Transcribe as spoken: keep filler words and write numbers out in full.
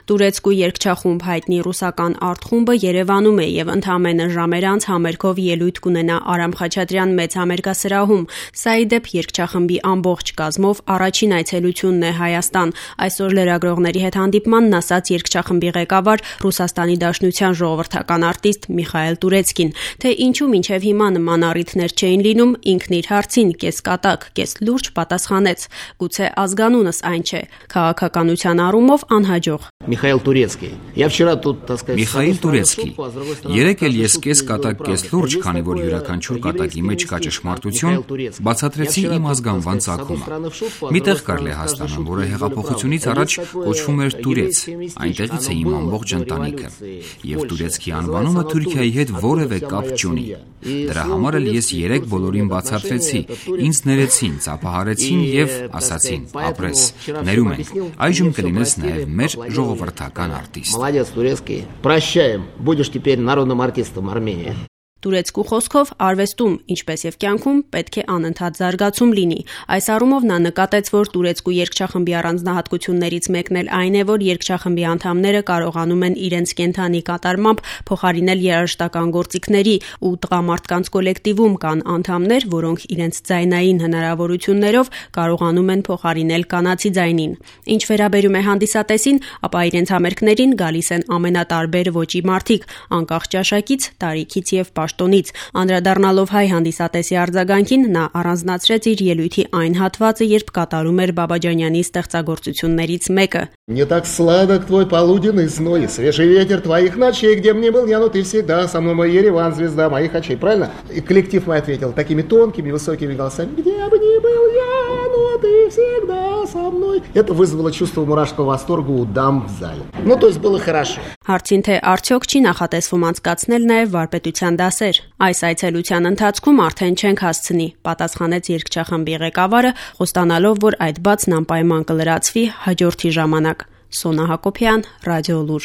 Տուրեցկու երգչախումբ հայտնի ռուսական արտխումբը Երևանում է եւ ընդամենը ժամեր անց համերգով ելույթ կունենա Արամ Խաչատրյան մեծ համերգասրահում։ Սա ի դեպ երգչախմբի ամբողջ կազմով առաջին այցելությունն է Հայաստան։ Այսօր լրագրողների հետ հանդիպմանն ասաց երգչախմբի ղեկավար Ռուսաստանի Դաշնության ժողովրդական արտիստ Միխայել Տուրեցկին, թե ինչու մինչև հիմա նման առիթներ չէին լինում, ինքն իր հարցին կես կատակ, կես լուրջ պատասխանեց. գուցե ազգանունս այն չէ, քաղաքականության առումով անհաջող։ Միխայել Տուրեցկի։ Միխայել Տուրեցկի։ Երեկ էլ ես կես կատակ, կես լուրջ, քանի որ յուրաքանչյուր կատակի մեջ կա ճշմարտություն, բացատրեցի իմ ազգանվան ծագումը։ Միտեղ կար Լեհաստանում, որը հեղափոխությունից առաջ կոչվում էր Տուրեց, այնտեղից է իմ ամբողջ ընտանիքը։ Եվ Տուրեցկի անվանումը Թուրքիայի հետ որևէ կապ չունի։ Դրա համար էլ ես երեկ բոլորին բացատրեցի, ինձ ներեցին, ծափահարեցին եւ ասացին՝ ապրես, ներում ենք, այժմ կլինես նաեւ մեր ժողովրդական արտիստ։ Молодец, Турецкий. Прощаем. Будешь теперь народным артистом Армении. Տուրեցկու խոսքով արվեստում, ինչպես եւ կյանքում, պետք է անընդհատ զարգացում լինի։ Այս առումով նա նկատեց, որ Տուրեցկու երգչախմբի առանձնահատկություններից մեկն էլ այն է, որ երգչախմբի անդամները կարողանում են իրենց կենթանի կատարմամբ փոխարինել երաժշտական գործիքների, ու տղամարդկանց կոլեկտիվում կան անդամներ, որոնք իրենց ձայնային հնարավորություններով կարողանում են փոխարինել կանացի ձայնին։ Ինչ վերաբերում է հանդիսատեսին, ապա իրենց համերգներին գալիս են ամենատարբեր ոճի մարդիկ, անկախ ճաշակից, տարիքից եւ պաշտոնից։ Անդրադառնալով հայ հանդիսատեսի արձագանքին, նա առանձնացրեց իր ելույթի այն հատվածը, երբ կատարում էր Բաբաջանյանի ստեղծագործություններից мեկը. Не так сладок твой полуденный зной, свежий ветер твоих ночей, где б ни был я, но ты всегда со мной, мой Ереван, звезда моих очей. Правильно? И коллектив мой ответил такими тонкими, высокими голосами: где бы ни был я, но ты всегда со мной. Это вызвало чувство мурашкого восторга у дам в зале. Ну, то есть было хорошо. Հարցին թե արդյոք չի նախատեսվում անցկացնել նաև վարպետության դասեր։ Այս այցելության ընթացքում արդեն չենք հասցնի, պատասխանեց երգչախմբի ղեկավարը, խոստանալով, որ այդ բացն անպայման կլրացվի հաջորդի ժամանակ։ Սոնա Հակոբյան, Ռադիոլուր։